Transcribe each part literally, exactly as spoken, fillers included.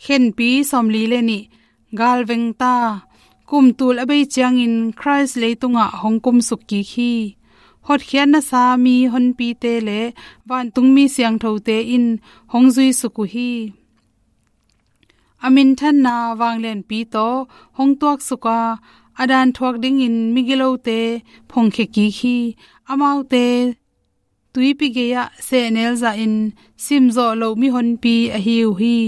Khenpi sawmli le nih, galveng ta. Kum tul a bei ciangin Khrist leitungah hong kumsuk kik hi. Hotkhiatna sa mi honpite le vantungmi siangthote in hong zuisuk uh hi. A minthanna vanglianpi tawh hong tuaksuk a, a dan thuak dingin migilote phongkhia kik hi. Amaute tuipi gei-ah sehnel zahin simzawh loh mihonpi ahi uh hi.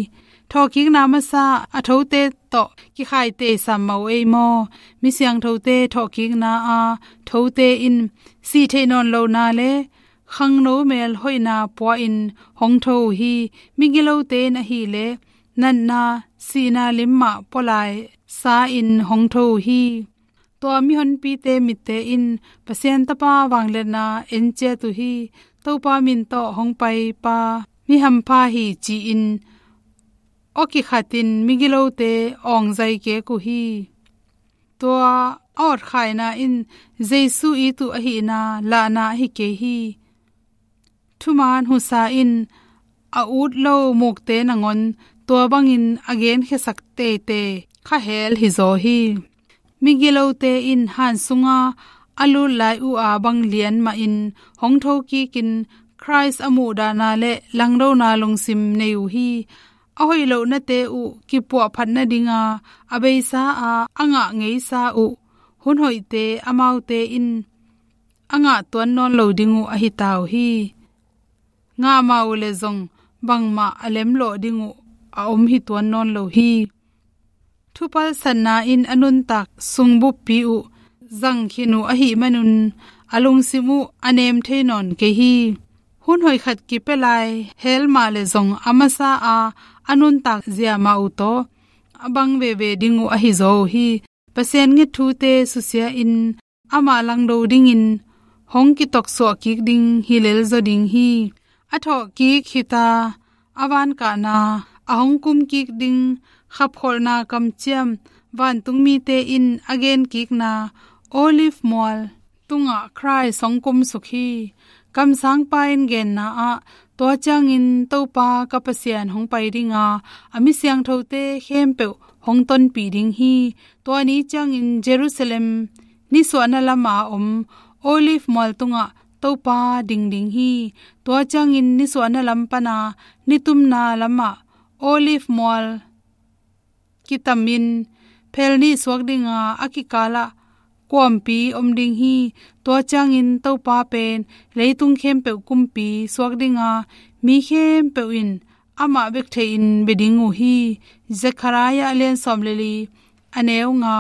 Thawhkikna masa a thote tawh kikhaite sam mah uh ei maw? Mi siangthote thawhkikna a thote in sih theih nawn lohna le khangno mel hoihna pua-in hong tho uh hi. Migilote in ahileh natna, sihna lim mah pualai sa-in hong tho uh hi. Tua mihonpite mitte in Pasian Tapa vangliatna en ciat uh hi. Topa min tawh hong paipa mi hampha hi ci-in aw kikhatin migilote awngzai kek uh hi. Tua a awtkhaina in Jesu it uh ahihna lahna ahi kei hi. Thuman husa in a ut lo mukte nangawn tua bangin a genkhiasak teitei kha hel hizaw hi. Migilote in han sunga a lut lai uh a bang lian mahin hong tho kikin Khrist a muhdahna le langdona lungsim nei uh hi. A hoih lohnate uh kipuahphat nadinga a beisa a, a ngah ngeisa uh hun hoihte amaute in a ngah tuan nawn lo ding uh ahi ta uh hi. Ngah mah uh leh zong bangmah a lemlawh ding uh a om hi tuan nawn lo hi. Thupalsatna in a nuntak sungbuppi uh zangkhin uh ahih manun a lungsim uh a nem thei nawn kei hi. Hun hoih khat kipia lai hel mah leh zong a masa a, a nuntak zia mah uh tawh a bang veve ding uh ahi zaw uh hi. Pasian nget thute susia-in amah langdo dingin hong kitoksuah kik ding hi lelzaw ding hi. A thawhkik hita a vankahna, a hong kumkik ding khapkholhna kamciam vantungmite in a genkikna Olive mual tungah Khrist hong kumsuk hi. Kamsangpa in genna ah, tua ciangin Topa ka Pasian hong pai dinga, a mi siangthote khempeuh hong tonpih ding hi. Tua ni ciangin Jerusalem nisuahna lama om Olive mual tungah Topa ding ding hi. Tua ciangin nisuahna lam pana nitumna lamah Olive mual kitamin phel nih suak dinga, a kikalah kuampi om ding hi. Tua ciangin Topa pen leitung khempeuh kumpi suak dinga, mi khempeuh in amah bek theihin bia ding uh hi. Zekhariah a lian sawm le li, a neu nga,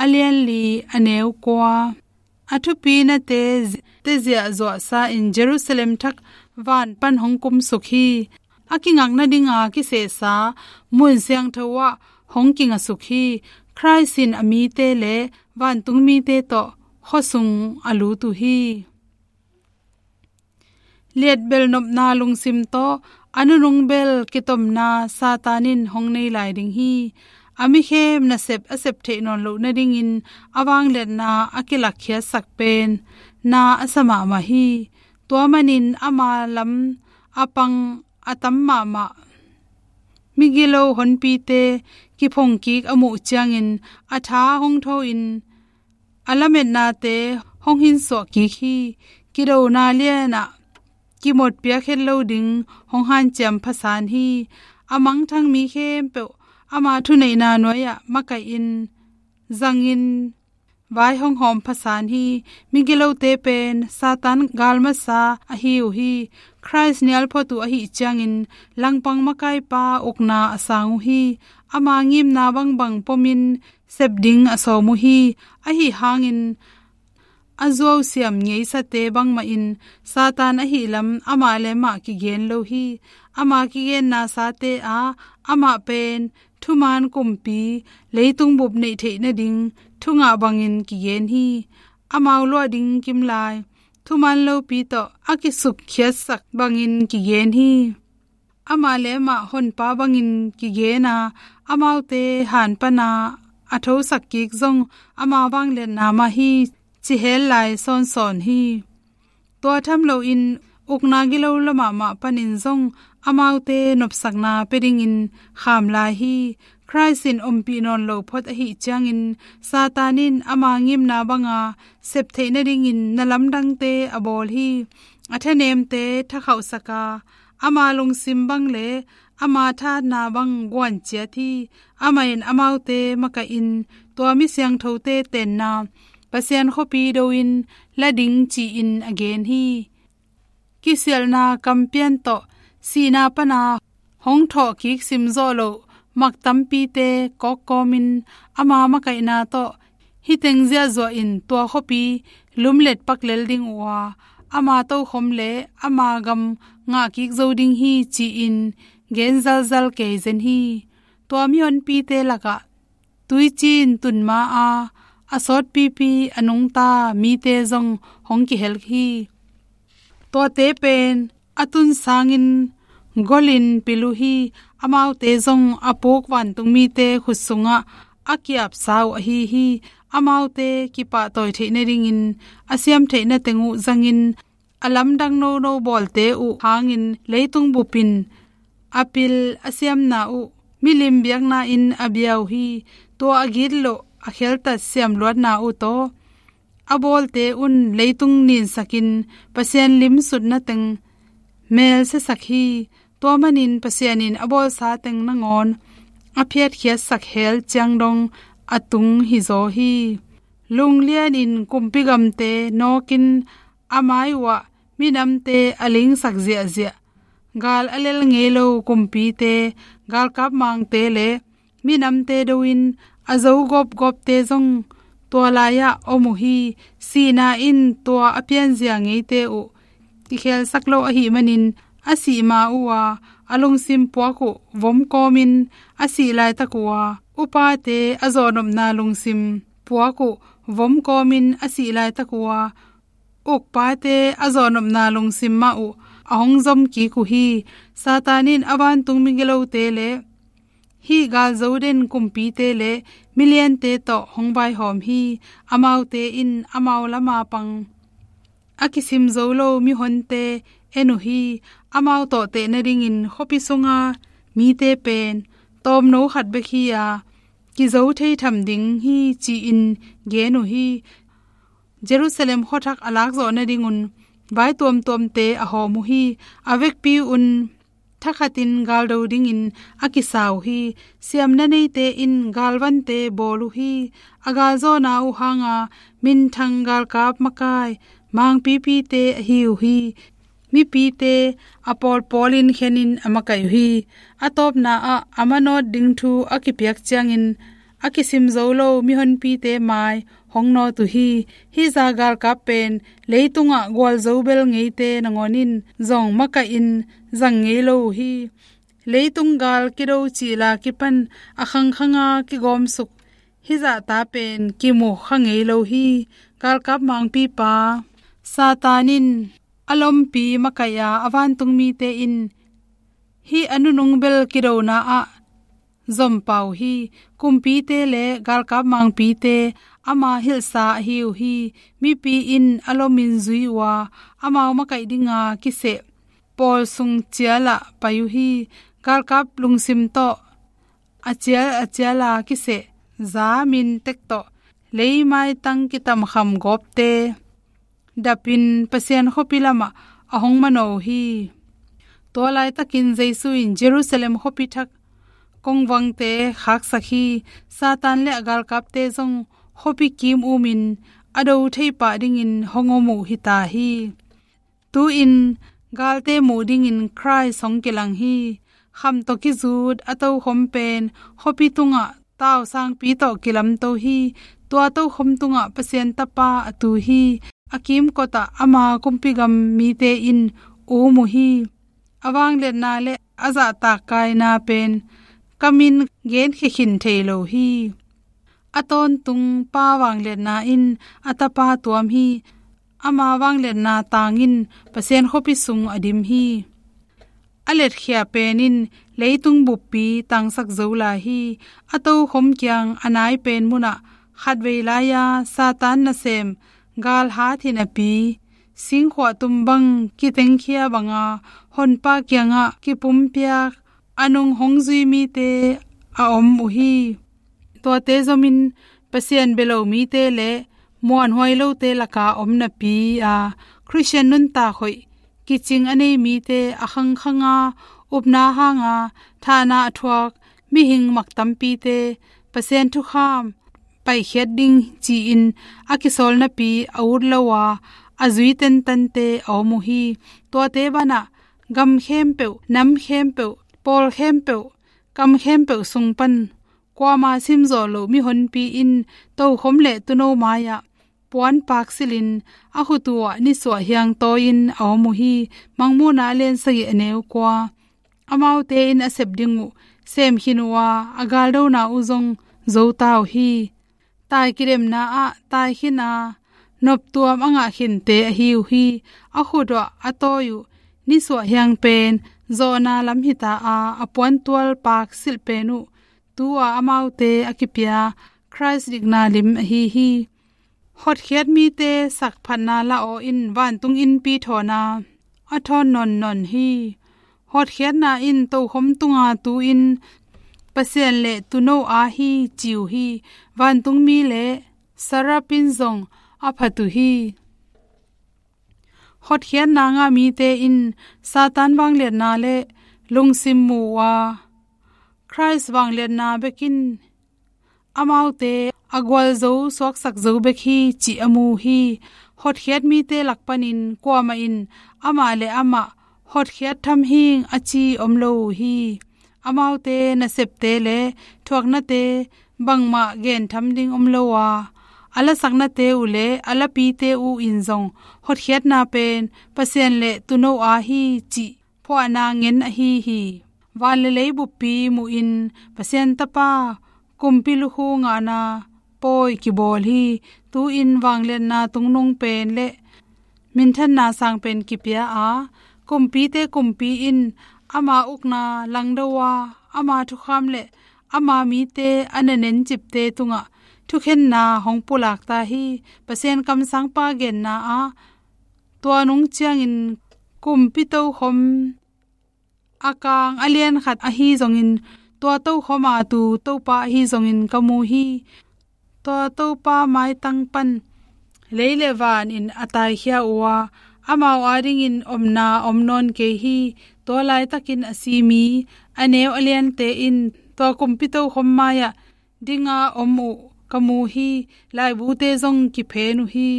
a lian li, a neu kua. A thupinate te ziahzuahsa-in Jerusalem thak van pan hong kumsuk hi. A kingakna dinga kisehsa mun siangtho ah hong kingasuk hi. Khrist in a mite le vantungmite tawh khuasung a lut uh hi. Liatbel nopna lungsim tawh a nunung bel kitomna Satan in hong nei lai ding hi. A mikhem nasep a sep theih nawn loh nadingin a vangliatna a kilakkhiatsak pen na a sa mahmah hi. Tua manin ama lam a pang a tam mahmah migilo honpite kiphongkik a muh ciangin a tha hong tho-in a lametnate hong hinsuah kik hi. Kidona lianah kimotpiak het lo ding hong hanciam phasan hi. A mangthang mi khempeuh ama thuneihna nuai-ah makaihin zangin vai hong hawm phasan hi. Migilote pen Satan galmasa ahi uh hi. Khrist nialphot uh ahih ciangin langpang makaipa ukna a sang uh hi. Ama ngimna bangbang pomin sep ding a sawm uh hi. Ahi hangin a zuausiam ngeisate bangmahin Satan ahih lam amah le amah kigen lo hi. Ama kigenna sate ah amah pen thuman kumpi leitung bup neih theih nading thungah bangin kigen hi. Amau luah ding kimlai thuman lopi tawh a kisukkhiatsak bangin kigen hi. Amah le amah honpa bangin kigen a, amaute han pana a thosak kik zong ama vangliatna mah hi, ci hel lai sawnsawn hi. Tua tham loin ukna gilo lamah mah panin zong amaute nopsakna pia dingin kham lai hi. Khrist in ompih nawn lo phot ahih ciangin Satan in ama ngimna banga sep theih nadingin na lamdangte a bawl hi. A thanemte thakhauhsak a, ama lungsim bang le ama thahatna bang guan ciat hi. Amah in amaute makaihin tua mi siangthote tenna Pasian khuapi do-in la ding ci-in a gen hi. Kisialhna kampian tawh sihna pana hong thawhkik simzawh loh mak tampite kawkkawmin ama makaihna tawh hih teng ziahzuah in tua khuapi lumlet paklel ding uh a, ama tokhom le ama gam ngahkik zo ding hi ci-in gen zalzal kei zen hi. Tua mihonpite lakah tuiciin tun ma-a a sawtpipi a nungta mite zong hong kihel hi. Tuate pen a tun sangin golin pil uh hi. Amaute zong a puk vantung mite khut sungah a kiapsa uh ahi hi. Amaute kipahtawi theih nadingin a siam theih na teng uh zangin a lamdang nono bawlte uh hangin leitung bup in a pil a siamna uh milim biakna-in a bia uh hi. Tua a gitloh a kheltat siamluatna uh tawh a bawlte un leitung ninsakin Pasian limsutna teng melsiasak hi. Tua manin Pasian in a bawlsa teng nangawn a phiatkhiatsak hel ciang dong a tung hizaw hi. Lunglianin kumpi gamte nawkin a mai uhah minamte a lingsak ziahziah, gal a lel ngei lo kumpite, galkap mangte le minamte do-in a zo gawpgawpte zong tua lai-ah om uh hi. Sihna in tua a pianzia ngeite uh kikhelsak lo ahih manin a sih ma uh a, a lungsim puak uh vom kawmin a sih laitak uh a, upate a zawhnopna lungsim puak uh vom kawmin a sih laitak uh a, ukpate a zawhnopna lungsim mah uh a hong zom kik uh hi. Satan in a vantung migilote le hih galzo den kumpite le miliante tawh hong vaihawm hi. Amaute in amau lama pang a kisim zo lo mihonte en uh hi. Amau tawhteh nadingin khuapi sunga mite pen tawmno khat bek hi-a kizo thei tham ding hi ci-in gen uh hi. Jerusalem khuathak a lakzawh nadingun vai tuamtuamte a hawm uh hi. A vekpi un thakhatin galdo dingin a kisa uh hi. Siamna neite in galvante bawl uh hi. A galzawhna uh hanga minthang galkap makai mangpipite ahi uh hi. Mipite a pawlpawlin khenin a makaih uh hi. A tawpna ah a manawt ding thu a kipiak ciangin a kisim zo lo mihonpite mai hong nawt uh hi. Hih zah galkap pen leitungah gualzo bel ngeite nangawn in zong makaihin zang ngei lo uh hi. Leitung gal kido cihla kipan a khangkhanga kigawmsuk hih zahta pen kimu kha ngei lo hi. Galkap mangpipa Satan in a lompi makaih a, a vantung mite in hih a nunung bel kidona ah zom pah uh hi. Kumpite le galkap mangpite ama hilhsa ahi uh hi. Mipi in a lomin zui uh a, amau makaih dinga kiseh pawl sung cialah pai uh hi. Galkap lungsim tawh a cial a ciala kiseh za min tek tawh leimaitang kitamkham gawpte dapin Pasian khuapi lamah a hong manawh uh hi. Tua laitakin Jesu in Jerusalem khuapi thak kongvangte khaksak hi. Satan le a galkapte zong khuapi kim umin a do thei pah dingin hong om uh hita hi. Tu-in galte muh dingin Khrist hong kilang hi. Kham tawh kizut a tokhom pen khuapi tungah tausangpi tawh kilamto hi. Tua tokhom tungah Pasian Tapa a tu hi. A kimkotah ama kumpi gam mite in um uh hi. A vangliatna le a zahtak kaina pen kamin genkhia khin thei lo hi. A tawntung pa vangliatna in a tapa tuam hi. Ama vangliatna tangin Pasian khuapi sung a dim hi. A letkhia pen in leitung buppi tangsak zo lai hi. A tokhom kiang a nai pen munah khatvei lai-a Satan nasem galhat hi napi singkhuah tum bang kitengkhia banga Honpa kiangah kipumpiak a nung hong zui mite a om uh hi. Tuate zomin Pasian bia lo mite le muanhuai lote laka om napi a, Khristian nuntak hoih kicing a nei mite a khangkhanga upna hanga thahna a thuak mihing mak tampite Pasian thukham paikhiat ding ci-in a kisawl napi a ut lo a, a zui tentante a om uh hi. Tuate banah gam khempeuh, nam khempeuh, pawl khempeuh, kam khempeuh sung pan kuama simzawh loh mihonpi in tokhom le tuuno mai-ah puan paak silhin a khut uhah nisuah hiang tawi-in a om uh hi. Mangmuhna a lian sagih a neu kua. Amaute in a sep ding uh sem khin uh a, a galdona uh zong zo ta uh hi. Tai kidemna ah tai khin a, noptuam a ngah khinte ahi uh hi. A khut uhah a tawi uh nisuah hiang pen zawhna lam hita a, a puantual paak silh pen uh tu-a amaute a kipia Khrist dikna lim ahi hi. Hotkhiat mite sakphatna la aw in vantung innpi thawn a, a thawn nawnnawn hi. Hotkhiatna in tokhom tunga tu-in Pasian le tuuno a hi ci uh hi. Vantung mi le seraph in zong a phat uh hi. Hotkhiatna ngah mite in Satan vangliatna le lungsim mu uh a, Khrist vangliatna bekin amaute a gualzo suaksak zo bek hi cih a mu uh hi. Hotkhiat mite lak panin kuamah in amah le amah hotkhiat tham hing a ci om lo uh hi. Amaute nasepte le thuaknate bangmah gentham ding om lo a, a lasaknate uh le a lapite uh in zong hotkhiatna pen Pasian le tuuno a hi cih phuahna ngen ahi hi. Van le lei buppi muhin Pasian Tapa kumpi lukhu ngahna pawi kibawl hi. Tu-in vangliatna tungnung pen le minthanna sang pen kipia a, kumpite kumpi in ama ukna langdo a, ama thukham le ama mite a na nencipte tungah thukhenna hong pulak ta hi. Pasian kamsangpa genna ah tua nung ciangin kumpi tokhom a kang a lian khat ahi zongin, tua tokhom a tu Topa ahi zongin ka mu hi. Tua Topa maitang pan lei le van in a taikhia uh a, amau adingin omna om nawn kei hi. Tua laitakin a si mi a neu a liante in tua kumpi tokhom mai-ah dinga om uh ka mu hi. Laibute zong kiphen uh hi.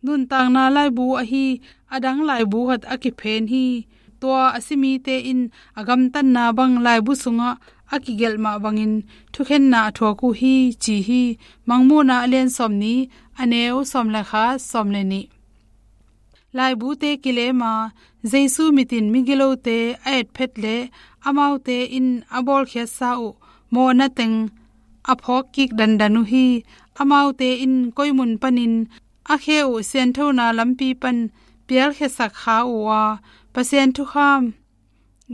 Nuntakna laibu ahi a dang laibu khat a kiphen hi. Tua a si mite in a gamtatna bang laibu sungah a kigelh mah bangin thukhenna a thuak uh hi ci hi. Mangmuhna a lian sawmnih a neu sawm le khat, sawm le nih. Laibute kilem a, Jesu mitin migilote a etphet le amaute in a bawlkhiatsa uh mawhna teng a phawk kik dandan uh hi. Amaute in koi mun panin a khe uh sianthona lampi pan pialkhiasak kha uh a, Pasian thukham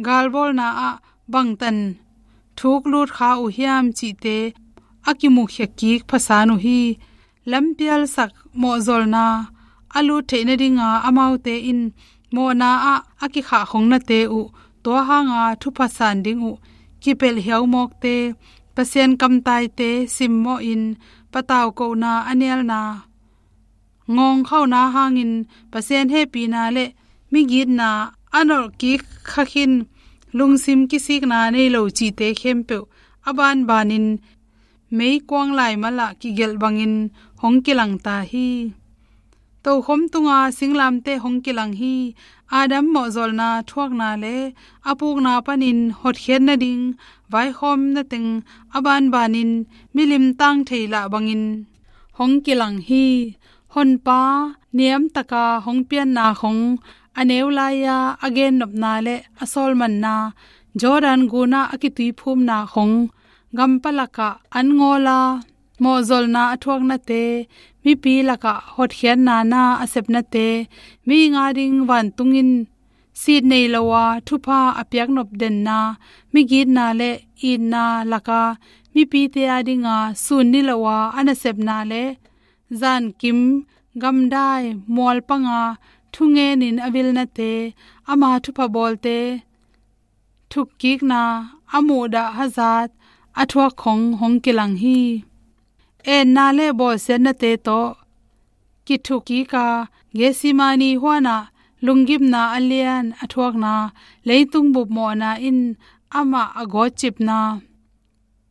galbawlna ah bangtan thuk lut kha uh hiam cihte a kimukhia kik phasan uh hi. Lampialsak mawhzolna a lut theih nadinga amaute in mawhna ah a kikhahkhongnate uh, tua hanga thupha san ding uh kipelh hiaumawkte, Pasian kamtaite simmawhin pataukohna a nialna ngawngkhauna hangin Pasian hehpihna le migitna a nolhkik khakhin lungsim kisikna nei lo cihte khempeuh a banbanin meikuang laimal ah kigelh bangin hong kilang ta hi. Tokhom tunga singlamteh hong kilang hi. Adam mawhzolna thuakna le a pukna panin hotkhiat nading vaikhawmna teng a banbanin milim tang thei lah bangin hong kilang hi. Honpa niamtaka hong pianna khong a neu lai-a a gennopna le a sawlmanna, Jordan gunah a kituiphumna khong, gampalakah an ngawla mawhzolna a thuaknate, mipi lakah hotkhiatna na a sepnate, mi nga ding vantung in sit nei lo a thupha a piaknop denna, migitna le itna laka mipite a dinga sun ni lo a a nasepna le zankim gamdai mualpanga thungenin a vilnate, ama thupha bawlte thukkikna, a muhdah hazat a thuak khong hong kilang hi. Etna le bawlsiatnate tawh kithukkik a, Gethsemane huanah lunggimna a lian a thuakna, leitung bupmawhna in amah a gawtcipna,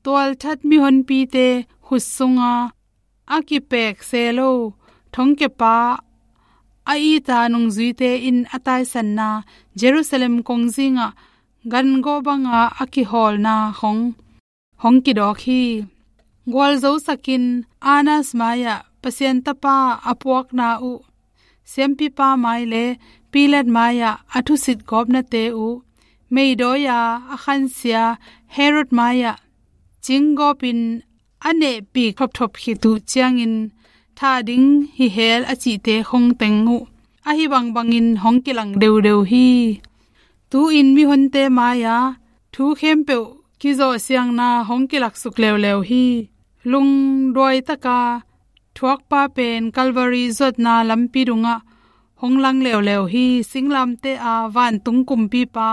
tualthat mihonpite khut sunga a kipek se lo thongkiapa a ita nungzuite in a taisanna, Jerusalem kongzingah gangawh banga a kihawlna khong hong kidawk hi. Gualzosakin Annas mai-ah Pasian Tapa a puakna uh, siampipa mai le Pilat mai-ah a thusit gawpnate uh, meidawi-a a khansia Herod mai-ah cinggawpin a nehpik thopthop khit uh ciangin thah ding hi hel a cihte khong teng uh ahi bangbangin hong kilang deudeu hi. Tu-in mihonte mai-a thu khempeuh kizawhsiangna hong kilaksuk leuleu hi. Lungduaitaka thuakpa pen Calvary zuatna lampi dungah hong lang leuleu hi. Singlamteh a vantung kumpipa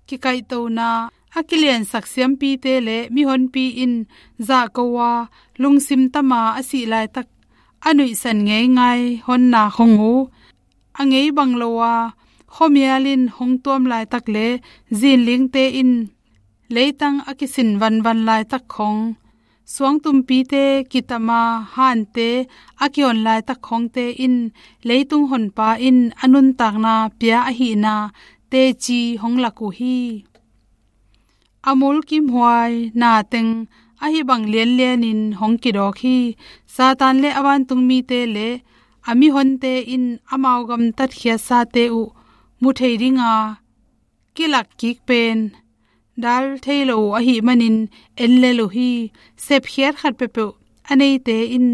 kikaihtona a kiliansak siampite le mihonpi in zahko a, lungsim tama a sih laitak a nuihsan ngeingai honna khong uh, a ngei bang lo a khuamial in hong tuam laitak le zinlingte in leitang a kisin vanvan laitak khong, suangtumpite kitama hante a kihon laitak khongte in leitung honpa in a nuntakna pia ahihna teci hong lak uh hi. A mulkimhuai na teng ahi bang lianlianin hong kidawk hi. Satan le a vantungmite le a mihonte in amau gamtatkhiatsate uh mu thei dinga kilakkik pen dal thei lo uh ahih manin en lel uh hi. Sepkhiat khat peuhpeuh a neite in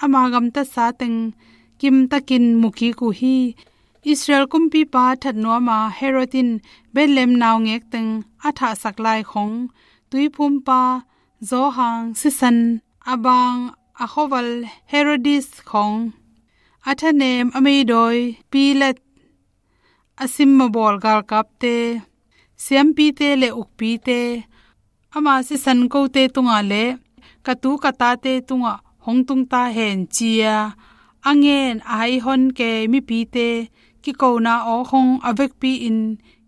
ama gamtatsa teng kimtakin mukik uh hi. Israel kumpipa that nuama Herod in Bethlehem naungek teng a thahsak lai khong, tuiphumpa Johan sisan a bang a khuaval Herodias khong, a thanem a meidawi Pilat, a simmabawl galkapte, siampite le ukpite, ama sisan kote tungah le ka tu ka tate tungah hong tungta hen ci-a a ngen a haihon kei mipite kikona aw khong a vekpi-in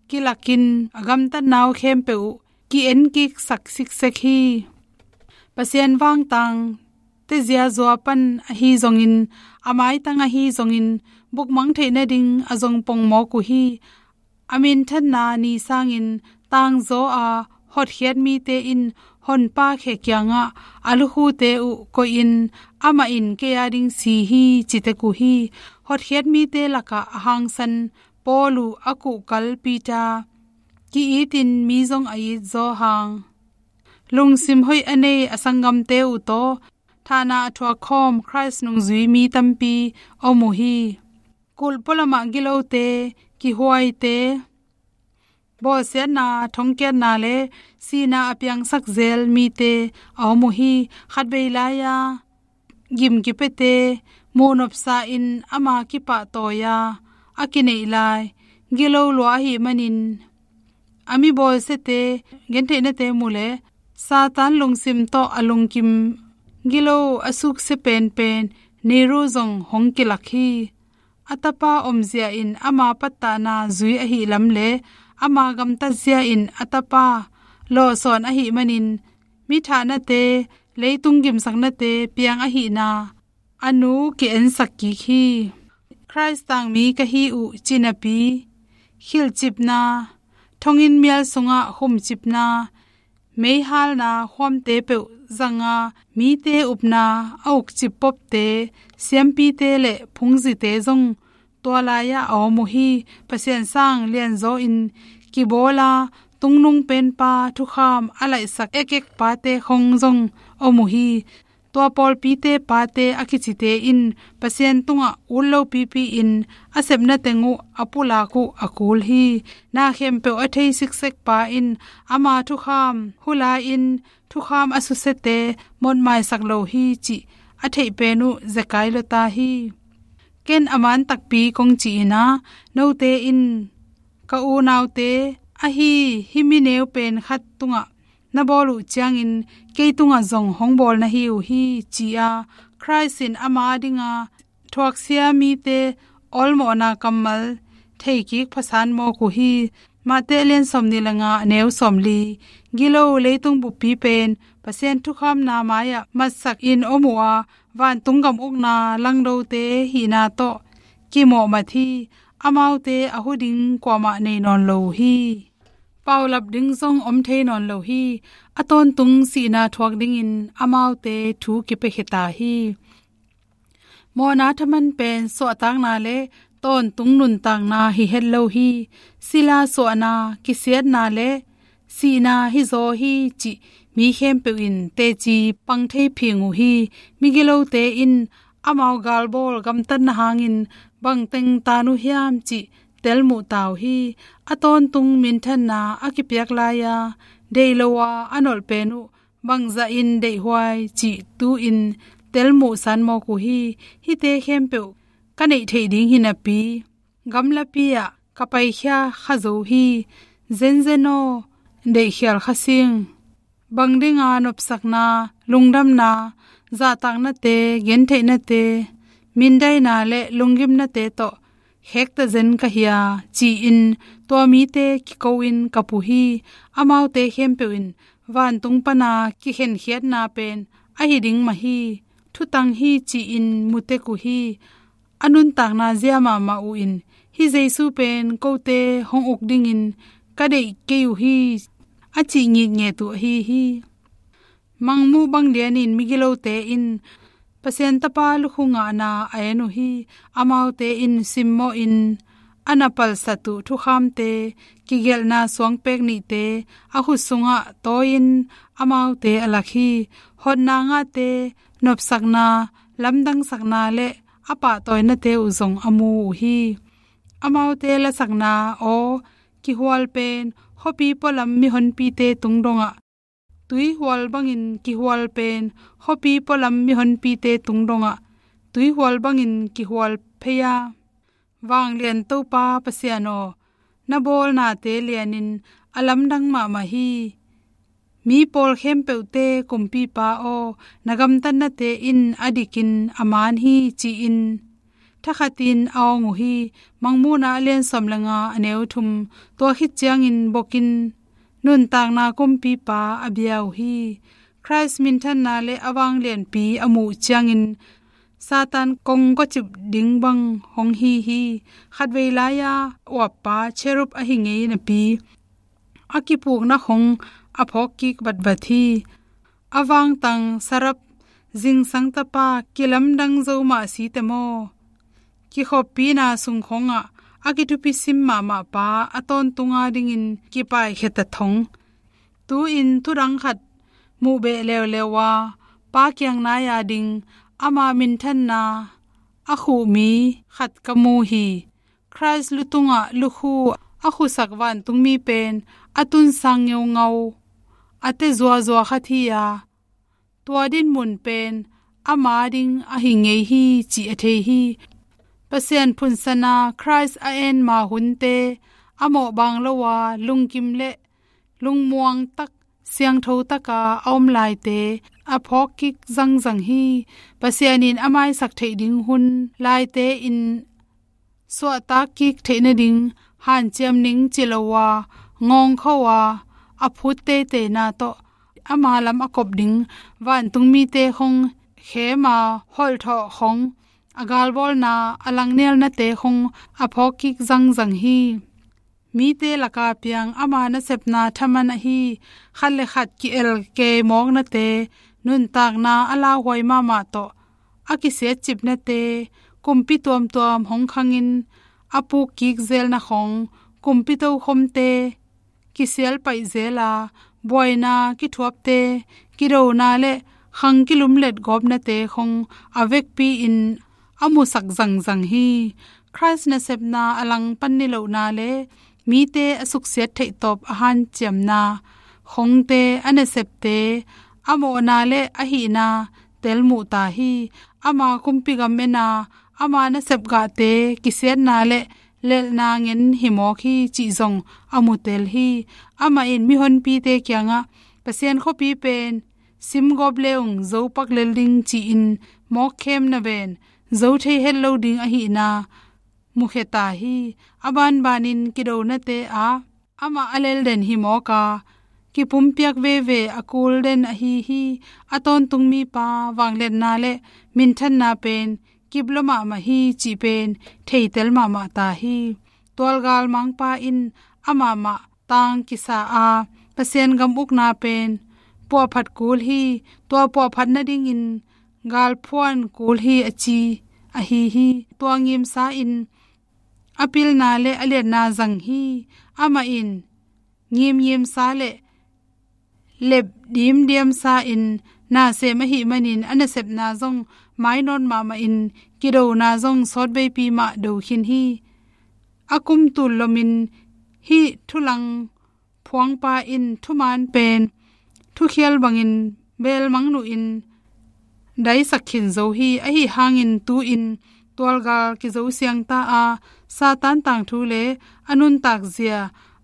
kilakin a gamtatna uh khempeuh uh ki-enkiksak siksek hi. Pasian vangtang tezia zua pan ahi zongin, a maitang ahi zongin, bukmang theih nading a zong pongmawk uh hi. A minthanna ni sangin tangzaw a hotkhiat mite in honpa khe kiangah a lukhute uh koihin amah in kei a ding si hi ci tek uh hi. Hotkhiat mite lakah a hangsan Paul uh a kuhkal Peter, ki-itin mi zong a it Johan, lungsim hoih a nei a sanggamte uh tawh thahna a thuak khawm Khrist nungzui mi tampi om uh hi. Kulh pualamah gilote, kihuaite, bawlsiatna, thongkiatna le sihna a piangsak zel mite a om uh hi. Khatvei lai-a gim kipiate, muhnopsa in ama kipahtawi-a a kineih lai gilo lua ahih manin, a mi bawlsiate gentheihnate mu leh Satan lungsim tawh a lungkim gilo a suksia penpen Nero zong hong kilak hi. A tapa omzia in ama pattahna zui ahih lam le ama gamtatzia in a tapa lawhsawn ahih manin, mi thahnate, leitung gimsaknate piang ahihna a nu ki-ensak kik hi. Khrist tangmi ka hi uh ci napi, khilhcipna, thonginn mial sungah khumcipna, meihalna khuamte peuh zanga mite upna a ukcip popte, siampite le phungzite zong tua lai-ah a om uh hi. Pasian sang lianzaw in kibawla tungnung penpa thukham a laihsak ekek pate khong zong om uh hi. Tua pawlpite pate a kicite in Pasian tungah ut lopipi in a sepna teng uh a pulak uh a kul hi. Na khempeuh a thei siksek pa in ama thukham hula in thukham a susiate mawtmaisak lo hi cih a theih pen uh zekai lua ta hi. Ken a man takpi kong ci-in ah, note in ka unaute ahi hih mi neu pen khat tungah na bawl uh ciangin kei tungah zong hong bawl na hi uh hi, ci-a Khrist in ama dinga thuaksia mite awlmawhna kammal theikik phasan mawk uh hi. Mate a lian sawmnih le nga, a neu sawmli. Gilo leitung buppi pen Pasian thukhamna mai-ah matsak in om uh a, vantung gam ukna langdote hihna tawh kimawhmat hi. Amaute a hu ding kuamah nei nawn lo uh hi. Paulap ding zong om thei nawn lo hi. A tawntung sihna thuak dingin amaute thu kipiakhia ta hi. Mawhna thaman pen suahtakna le tawntung nuntakna hi het lo hi. Sila suahna, kisiatna le sihna hizaw hi cih mi khempeuh in teci pang thei phing uh hi. Migilote in amau galbawl gamtatna hangin bangteng tan uh hiam cih telmuh ta uh hi. A tawntung minthanna a kipiak lai-a deih lo-a a nolh pen uh bangzahin deihhuai cih tu-in telmuhsan mawk uh hi. Hihte khempeuh ka neih theih ding hi napi, gamlapi-ah ka paikhia kha zo hi. Zenzen aw, deihkhial kha sing. Bang dinga nopsakna, lungdamna, zahtaknate, gentheihnate, mindaina le lunggimnate tawh khekta zen ka hia, ci-in tua mite kiko-in kap uh hi. Amaute khempeuh in vantung pana kikhenkhiatna pen ahi ding mah hi. Thutang hi ci-in mutek uh hi. A nuntakna zia mahmah uh in, hih Jesu pen kote hong uk dingin ka deih kei uh hi, a cih ngitnget uh ahi hi. Mangmuh bang lianin migilote in Pasian Tapa lukhu ngahna a en uh hi. Amaute in simmawhin a na palsat uh thukhamte, kigelhna suangpek nihte a khut sungah tawi-in amaute a lak hi. Hotna ngahte, nopsakna, lamdangsakna le a pahtawinate uh zong a mu uh hi. Amaute lasakna aw, kihual pen khuapi pualam mihonpite tung dongah, tuihual bangin kihual pen khuapi pualam mihonpite tung dongah tuihual bangin kihual phei a, Vanglian Topa Pasian aw, na bawlnate lianin a lamdang mahmah hi. Mi pawl khempeuhte Kumpipa aw, na gamtatnate in a dikin a man hi, ci-in thakhatin a awng uh hi. Mangmuhna a lian sawm le nga, a neu thum. Tua khit ciangin bokin nuntakna Kumpipa a bia uh hi. Khrist minthanna le a vanglianpi a muh ciangin Satan kong kawcip ding bang hong hi hi. Khatvei lai-a uappa cherub ahi ngei napi, a kipukna khong a phawkkik vatvat hi. A vangtang serap zingsang tapa kilamdang zo mah si te maw? Kikhoppina sung khongah a kithupi sim mahmah pa a tawntunga dingin kipaikhiat a thong. Tu-in thudang khat muh beh leuleu a, Pa kiang nai-a ding ama minthanna a khuh mi khat ka mu hi. Khrist lu tungah lukhu a khusak vantungmi pen a tunsang ngeungau, a te zuazua khat hi-a, tua dinmun pen ama ding ahi ngei hi, cih a thei hi. Pasian phunsana Khrist a en ma hunte a mawhbang lo-a, lungkim le lungmuang tak, siangtho taka a om laite a phawkkik zangzang hi. Pasian in a maisak theih ding hun laite in suahtak kik theih nading hanciam ning ci lo-a, ngawngkho-a, a phut teiteina tawh ama lam a kop ding vantungmite khong khem a, holhthawh khong a galbawlna, a langnialnate khong a phawkkik zangzang hi. Mite laka piang ama nasepna thaman ahi khat le khat ki-el kei mawknate, nuntakna a lauhuai mahmah tawh a kisiatcipnate, kumpi tuamtuam hong khangin a pukkik zelna khong, kumpi tokhomte kisial paih zel a, buaina kithuapte, kidona le khang kilumlet gawpnate khong a vekpi-in a musak zangzang hi. Khrist nasepna a langpan nilohna le mite a suksiat theihtawp a hanciamna khongte, a nasepte a mawhna le a hihna telmuh ta hi. Ama kumpi gam en a, ama nasep gahte kisiatna le lelhna ngen hi mawk hi cih zong a mutel hi. Amah in mihonpite kiangah Pasian khuapi pen simgawp le ung zo pak lel ding ci-in mawk khem naven zo thei het lo ding ahihna mukhia ta hi. A banbanin kidonate ah amah a lelden hi mawk a, kipumpiak veve a kul den ahi hi. A tawntung mipa vangliatna le minthanna pen kip lua mahmah hi cih pen theitel mahmah ta hi. Tualgal mangpa in amah mah tang kisa a, Pasian gam ukna pen puahphat kul hi. Tua puahphat nadingin galphuan kul hi a ci ahi hi. Tua ngimsa in a pilna le a liatna zang hi. Amah in ngimngimsa le lep dimdiamsa in na sem ahih manin a nasepna zong mainawt mahmah in kidona zong sawtveipi mah do khin hi. A kum tul lomin hih thulang phuangpa in thuman pen thukhial bangin belmang nuhin daisak khin zo hi. Ahi hangin tu-in tualgal kizo siang ta a, Satan tangthu le a nuntak zia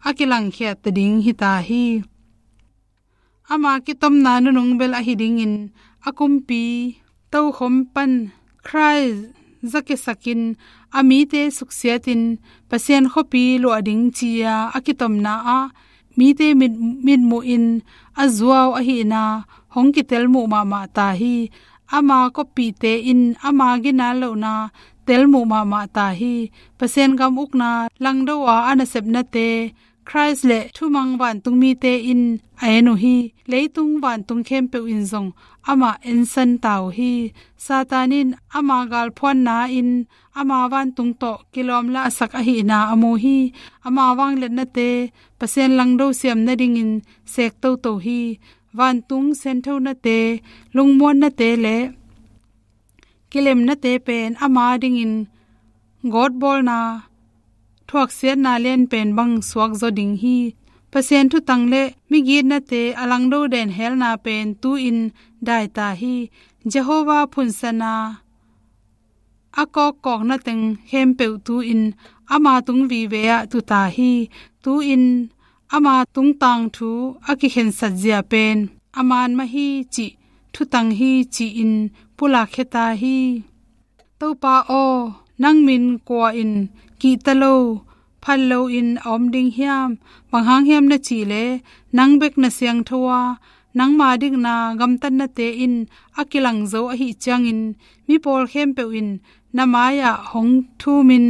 a kilangkhiat ta ding hi ta hi. Ama kitomna nunung bel ahi dingin a kumpi tokhom pan Khrist zakisakin a mite suksiatin Pasian khuapi luah ding ci-a a kitomna ah mite mit, mitmuhin a zuau ahihna hong kitelmuh mahmah ta hi. Ama kawppihte in ama ginal lohna telmuh mahmah ta hi. Pasian gam ukna langdo a a nasepnate Khrist le thumang vantungmite in a en uh hi. Leitung vantung khempeuh in zong amah ensan ta uh hi. Satan in ama galphuanna in ama vantung tawh kilawmlahsak ahihna a mu hi. Ama vangliatnate Pasian langdo siam nadingin sek toto hi. Vantung sianthonate, lungmuannate le kilemnate pen ama dingin gawtbawlna thuaksiatna lianpen bang suakzaw ding hi. Pasian thutang le migitnate a langdo den helna pen tu-in dai ta hi. Jehovah phunsana a kawkkawkna teng khempeuh tu-in ama tung vive ah tu ta hi. Tu-in ama tungtang thu a kikhensat zia pen a man mah hi cih, thutang hi ci-in pulakkhia ta hi. Topa aw, nang min kua in kihta lo, phal loin a om ding hiam? Bang hang hiam na cih leh nang bek na siangtho a, nangma dikna gamtatnate in a kilang zo ahih ciangin mipawl khempeuh in na mai-ah hong thumin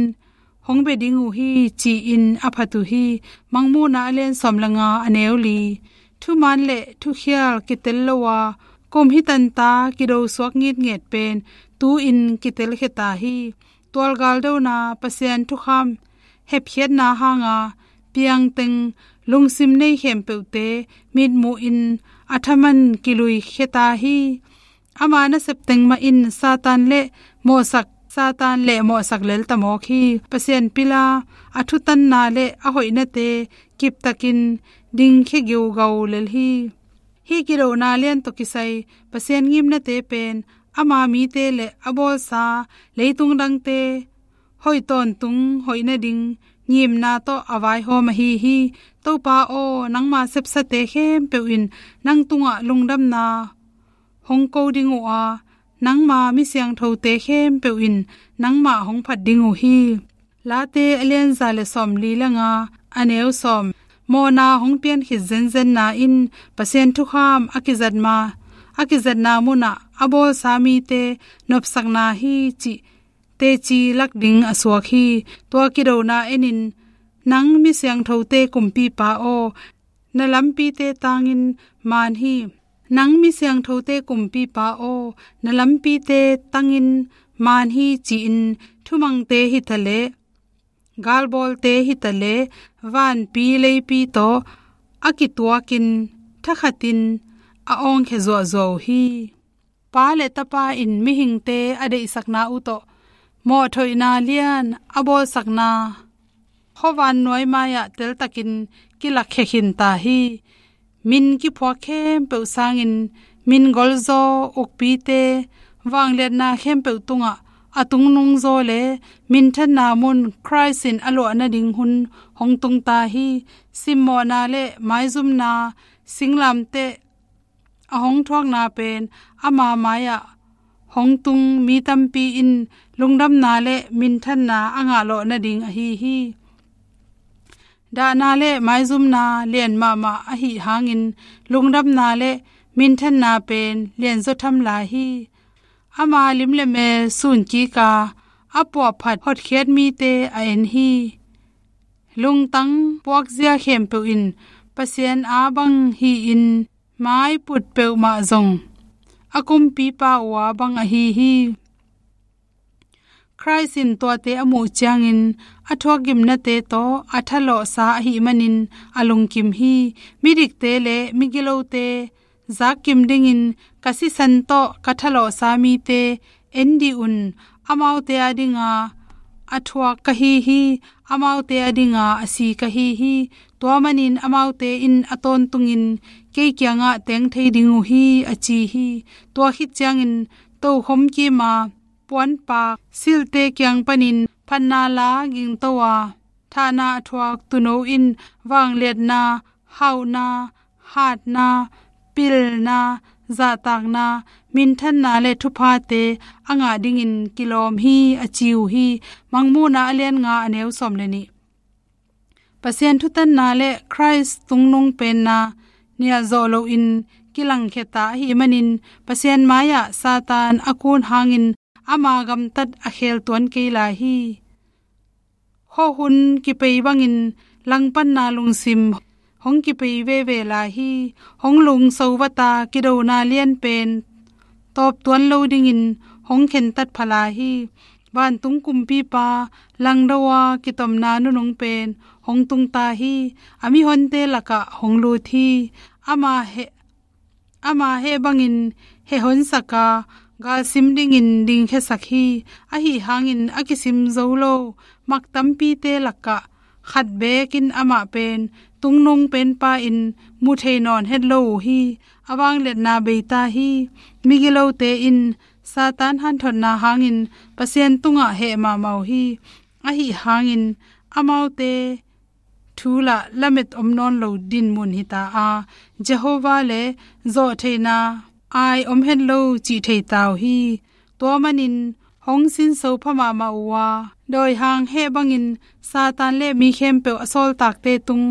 hong bia ding uh hi ci-in a phat uh hi. Mangmuhna a lian sawm le nga a neu li. Thuman le thukhial kitel lo a, kum hi tanta kido suak ngitnget pen tu-in kitelkhia ta hi. Tualgal dona Pasian thukham hepkhiatna hanga piangteng lungsim nei khempeuhte mitmuhin a thaman kiluikhia ta hi. Ama nasep teng mah in Satan le mawhsak, Satan le mawhsak lel ta mawk hi. Pasian pila a thutanna le a hoihnate kiptakin dingkhia giugau lel hi. Hih kidona lian tawh kisai Pasian ngimnate pen ama mite le a bawlsa leitung dangte hoih tawntung hoih nading ngimna tawh a vaihawm ahi hi. Topa aw, nangma sepsate khempeuh in nang tungah lungdamna hong ko ding uh a, nangma mi siangthote khempeuh in nangmah hong phat ding uh hi. Late a lian za le sawm li le nga a neu sawm. Mawhna hong pian khit zenzenna in Pasian thukham a kizat ma, a kizatna munah a bawlsa mite nopsakna hi cih teci lak ding a suak hi. Tua kidona enin, nang mi siangthote kumpipa aw, na lampite tangin man hi. Nang mi siangthote kumpipa aw, na lampite tangin man hi ci-in thumangte hi ta leh, galbawlte hi ta leh, vanpi leipi tawh a kituakin thakhatin a awngkhia zuahzuah uh hi. Pa le tapa in mihingte a deihsakna uh tawh mawhthoihna lian a bawlsakna khuavan nuai mai-ah teltakin kilakkhia khin ta hi. Min kiphuak khempeuh sangin min golzaw ukpite vangliatna khempeuh tungah a tungnung zaw le minthanna mun Khrist in a luah nading hun hong tung ta hi. Simmawhna le maizumna singlamteh a hong thuakna pen ama mai-ah hong tung mi tampi in lungdamna le minthanna a ngahlawh nading ahi hi. Dahna le maizumna lian mahmah ahih hangin lungdamna le minthanna pen lianzaw tham lai hi. Ama lim le mel sun kik a, a puahphat hotkhiat mite a en hi. Lungtang puakzia khempeuh in Pasian a bang hi-in mai put peuhmah zong a kumpipa uh a bang ahi hi. Khrist in tuate a muh ciangin a thuakgimnate tawh a thalawhsa ahih manin a lungkim hi. Midikte le migilote zakkim dingin ka sisan tawh ka thalawhsa mite en dih un. Amaute a dinga a thuak ka hi hi. Amaute a dinga a si ka hi hi. Tua manin amaute in a tawntungin kei kiangah teng thei ding uh hi, a ci hi. Tua khit ciangin tokhom kima puanpak silte kiang panin phatna la gingto a, thahna a thuak tuuno in vangliatna, hauhna, hatna, pilna, zahtakna, minthanna le thuphate a ngah dingin kilawm hi, a ci uh hi. Mangmuhna a lian nga a neu sawm le nih. Pasian thutanna le Khrist tungnung penna nialzawh loin kilangkhia ta ahih manin Pasian mai-ah Satan a kun hangin ama gamtat a khel tuan kei lai hi. Khuahun kipei bangin langpanna lungsim hong kipei veve lai hi. Hong lungso vata kidona lianpen tawp tuan lo dingin hong khentat pha lai hi. Vantung kumpipa langdo a kitomna nunung pen hong tung ta hi. A mihonte lakah hong lut hi. Ama heh, ama heh bangin heh honsak a, galsim dingin dingkhiasak hi. Ahih hangin a kisim zo lo mak tampite lakah khat bekin amah pen tungnung penpa in mu thei nawn het lo uh hi. A vangliatna bei ta hi. Migilote in Satan hanthotna hangin Pasian tungah heh mahmah uh hi. Ahih hangin amaute thu lah lamet om nawn lo dinmun hi ta a, Jehovah le zawhtheihna ai om het lo cih thei ta uh hi. Tua manin hong sinso pha mahmah uh a, dawihang heh bangin Satan le mi khempeuh a sawltakte tung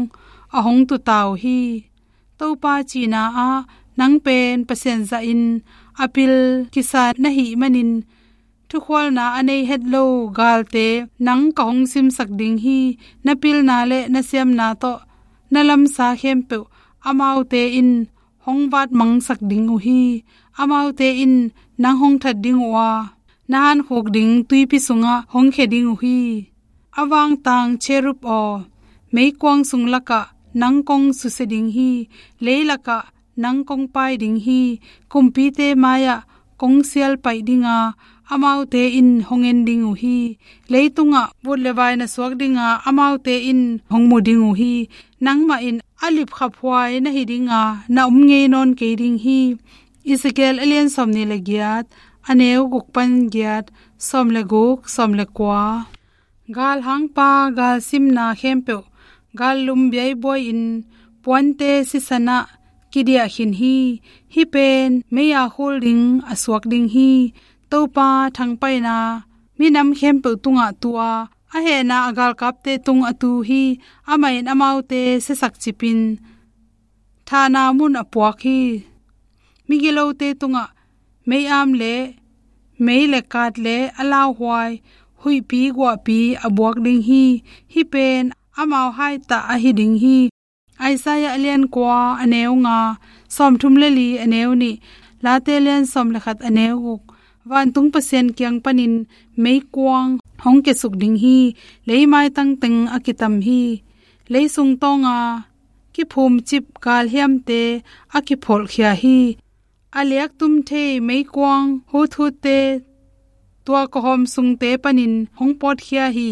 a hong tu ta uh hi. Topa cihna ah nang pen Pasian zahin a pil kisa na hih manin thukhualna a nei het lo galte nang ka hong simsak ding hi. Na pilna le na siamna tawh na lamsa khempeuh amaute in hong vatmangsak ding uh hi. Amaute in nang hong that ding uh a, na hankhuk ding tuipi sungah hong khia ding uh hi. A vangtang cherub aw, meikuang sung lakah nang kong susia ding hi. Lei lakah nang kong pai ding hi. Kumpite mai-ah kong sial paih ding a, amaute in hong en ding uh hi. Leitungah vut le vai na suak ding a, amaute in hong mu ding uh hi. Nangmah in a lipkhaphuai na hi ding a, na om ngei nawn kei ding hi. Ezekiel a lian sawm nih le giat, a neu guk pan giat, sawm le guk, sawm le kua. Galhangpa galsimna khempeuh gallum biaibuai-in puante sisan ah kidiah khin hi. Hih pen mei a khul ding a suak ding hi. Topa thangpaihna minam khempeuh tungah tu a, a hehna a galkapte tung a tu hi. Amah in amaute siasak cipin thahna mun a puak hi. Migilote tungah mei-am le mei le kat le a lauhuai huihpi guahpi a buak ding hi. Hih pen amau haitah ahi ding hi. Isaiah a lian kua a neu nga, sawmthum le li a neu nih, Late lian sawm le khat a neu guk. Vantung Pasian kiang panin meikuang hong kiasuk ding hi. Leimaitang teng a kitam hi. Leisung tawnga kiphumcip galhiamte a kipholhkhia hi. A liaktum thei meikuang huthutte tua kawhawm sungte panin hong pawtkhia hi.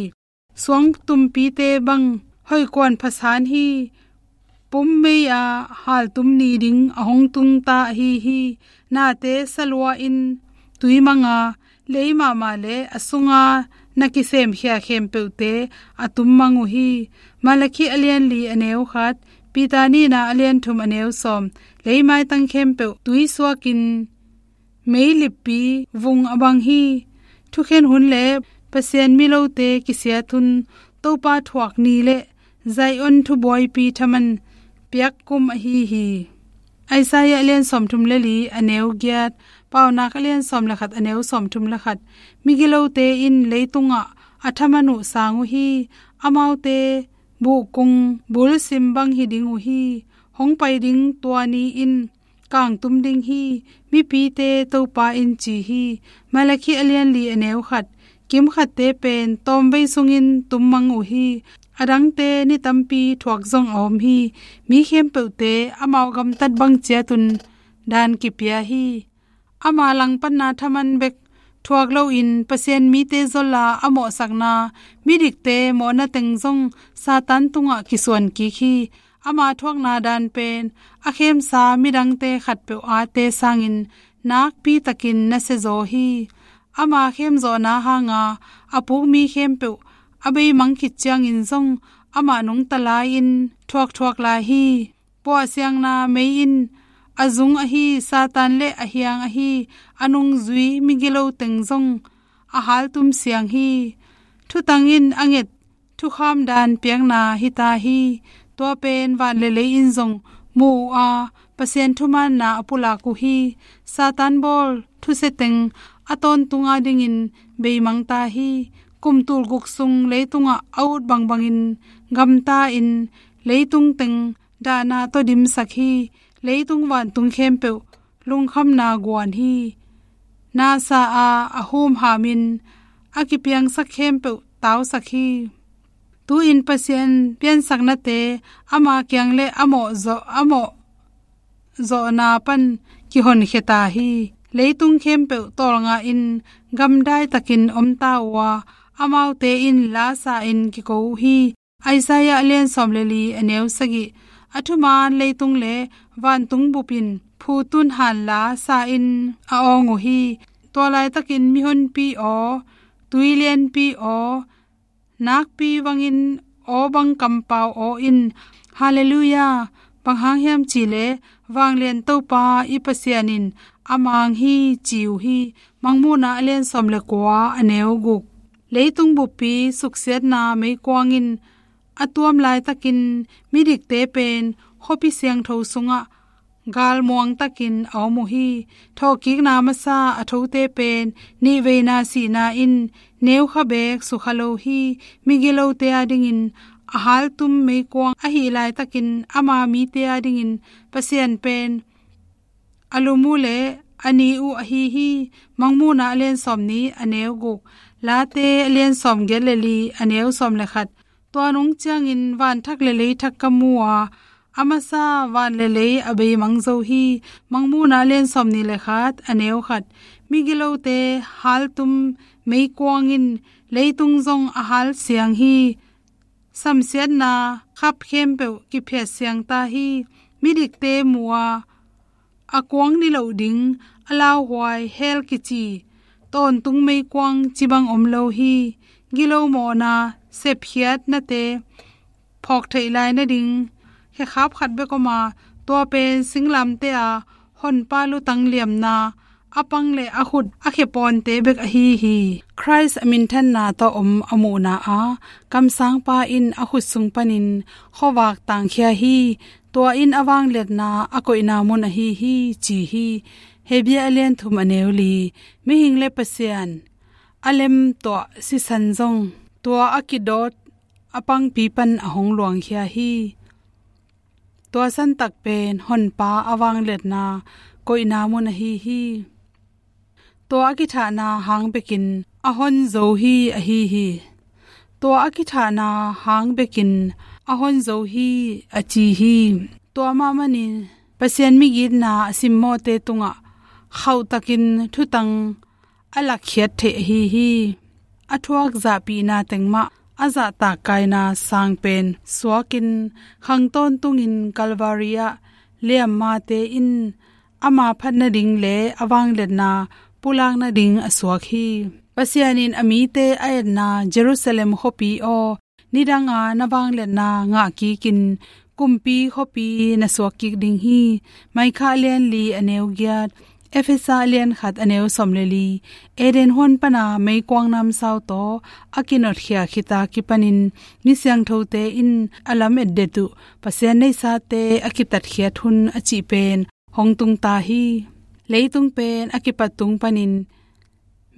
Suang tumpite bang hoihkuan phasan hi. Pum mei a haltum ni ding a hong tung ta ahi hi. Nate salua in tui manga lei mahmah le a sunga na kisemkhia khempeuhte a tummang uh hi. Malakhi a lian li a neu khat, Peter nihna a lian thum a neu sawm, lei maitang khempeuh tui suakin meilippi vung a bang hi. Thukhen hun le Pasian milote kisiat hun, Topa thuak ni le Zion thubuaipi thaman piak kum ahi hi. Isaiah a lian sawmthum le li a neu giat, Paunak a lian sawm le khat a neu sawmthum le khat. Migilote in leitungah a thaman uh sang uh hi. Amaute buhkung bulsim bang hi ding uh hi. Hong pai ding tua ni in kangtum ding hi, mipite Topa in ci hi. Malakhi a lian li a neu khat, kimkhatte pen tawmvei sungin tummang uh hi. A dangte ni tampi thuak zong a om hi. Mi khempeuhte amau gamtat bang ciatun dan kipia hi. Ama langpanna thaman bek thuak loin Pasian mite zola a mawhsakna, midikte mawhna teng zong Satan tungah kisuan kik hi. Ama thuakna dan pen a khemsa midangte khatpeuh ate sangin nakpi takin nasia zaw hi. Ama khemzawhna hanga a pukmi khempeuh a beimang khit ciangin zong amah nungta lai-in thuakthuak lai hi. Puahsiangna mei in a zung ahi Satan le a hiang ahi a nungzui migilo teng zong a haltum siang hi. Thutang in a nget thukham dan piakna hita hi. Tua pen van le lei in zong mu uh a, Pasian thumaanna a pulak uh hi. Satan bawl thusia teng a tawntung adingin beimangta hi. Kum tulguk sung leitungah a ut bangbangin gamta in leitung teng dahna tawh dimsak hi. Leitung vantung khempeuh lungkhamna guan hi. Nasa a a humhamin a kipiangsak khempeuh tausak hi. Tu-in Pasian piansaknate ama kiang le a mawhzawh, a mawhzawhna pan kihonkhia ta hi. Leitung khempeuh tawlnga in gamdai takin omta uh a, amaute in lasa in kiko uh hi. Isaiah a lian sawm le li a neu sagih. A thumaan leitung le vantung bupin phutun hanla sa in a awng uh hi. Tua laitakin mihonpi aw, tuilianpi aw, nakpi vangin aw bang kampau aw in, Halleluiah, bang hang hiam cihleh vanglian Topa i Pasian in a mang hi ci uh hi. Mangmuhna a lian sawm le kua a neu guk. Leitung buppi suksiatna meikuang in a tuam laitakin midikte pen khuapi siangtho sungah galmuang takin a om uh hi. Thawhkikna masa a thote pen nihveina sihna in neukha beek sukha lo hi. Migilote adingin a haltum meikuang ahih laitakin ama mite adingin Pasian pen a lum uh le a ni uh ahi hi. Mangmuhna a lian sawm nih a neu guk, Late a lian sawm giat le li a neu sawm le khat. Tua nung ciangin van thak le lei thak ka mu a, a masa van le lei a beimang zo hi. Mangmuhna a lian sawm nih le khat a neu khat. Migilote haltum meikuang in leitung zong a hal siang hi. Samsiatna khap khempeuh kiphiat siangta hi. Midikte mu a, a kuang niloh ding a lauhuai hell kici tawntung meikuang cibang om lo hi. Gilo mawhna sepkhiatnate phawk theih lai nading khekhap khat bek om a, tua pen singlamteh a honpa lutang liamna a pang le a khut a khepawnte bek ahi hi. Khrist a minthanna tawh om a muhna a, kamsangpa in a khut sung panin khuavak tangkhia hi. Tua in a vangliatna a koihna mun ahi hi ci hi. Hebru a lian thum a neu li. Mihing le Pasian a lem tuah sisan zong tua a kidawt a pangpi pan a hong luangkhia hi. Tua santak pen honpa a vangliatna koihna mun ahi hi. Tua a kithahna hang bekin a hon zo hi ahi hi. Tua a kithahna hang bekin a hon zo hi a ci hi. Tua mah manin Pasian migitna a simmawhte tungah khauhtakin thutang a lakkhiat theih ahi hi. A thuak zahpihna teng mah a zahtak kaina sang pen suakin khang tawntungin Calvary ah liammate in ama phat nading le a vangliatna pulak nading a suak hi. Pasian in a mite a etna Jerusalem khuapi aw, nidanga na vangliatna ngah kikin kumpi khuapi na suak kik ding hi. Maikha a lian li a neu giat, Efesa a lian khat a neu sawm le li. Eden huan pana meikuang namsau tawh a kinotkhia khita kipanin mi siangthote in a lam etdet uh Pasian neisate a kitatkhiat hun a cih pen hong tung ta hi. Leitung pen a kipat tung panin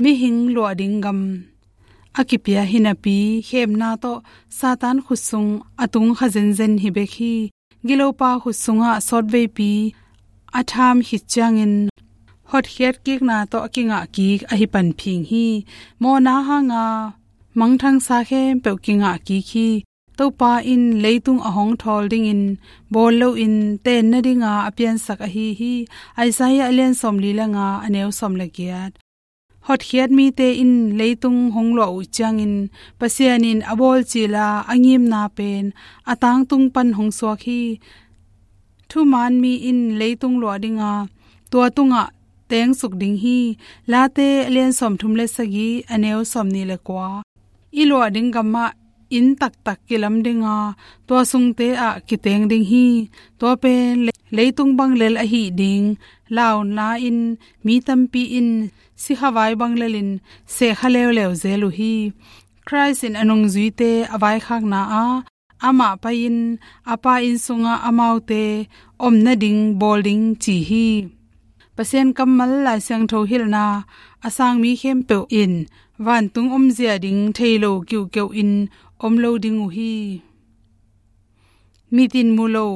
mihing luah ding gam a kipia hi napi, khemna tawh Satan khutsung a tung kha zenzen hi bek hi. Gilopa khutsungah sawtveipi a tham khit ciangin hotkhiat kikna tawh a kingah kik ahi panphing hi. Mawhna hanga mangthangsa khempeuh kingah kik hi. Topa in leitung a hong thawl dingin bawl loin tenna dinga a piansak ahi hi. Isaiah a lian sawm li le nga a neu sawm le giat. Hotkhiat mite in leitung hong luah uh ciangin Pasian in a bawl cila a ngimna pen a tangtung pan hong suak hi. Thuman mi in leitung luah dinga tua tungah tengsuk ding hi. Late a lian sawm thum le sagih a neu sawm nih le kua. I luah ding gamah inn taktak kilam dinga tua sungte ah kiteng ding hi. Tua pen le-, leitung bang lel ahi ding launa in mi tampi in sikhavai bang lelin sehkha leuleu zel uh hi. Christ in a nungzuite a vaikhakna ah amah pai-in a Pa inn sungah amaute om nading bawl ding ci hi. Pasian kammal Lai Siangtho hilhna a sang mi khempeuh in vantung omzia ding thei lo kiuhkeuh in om lo ding uh hi. Mit in mu lo,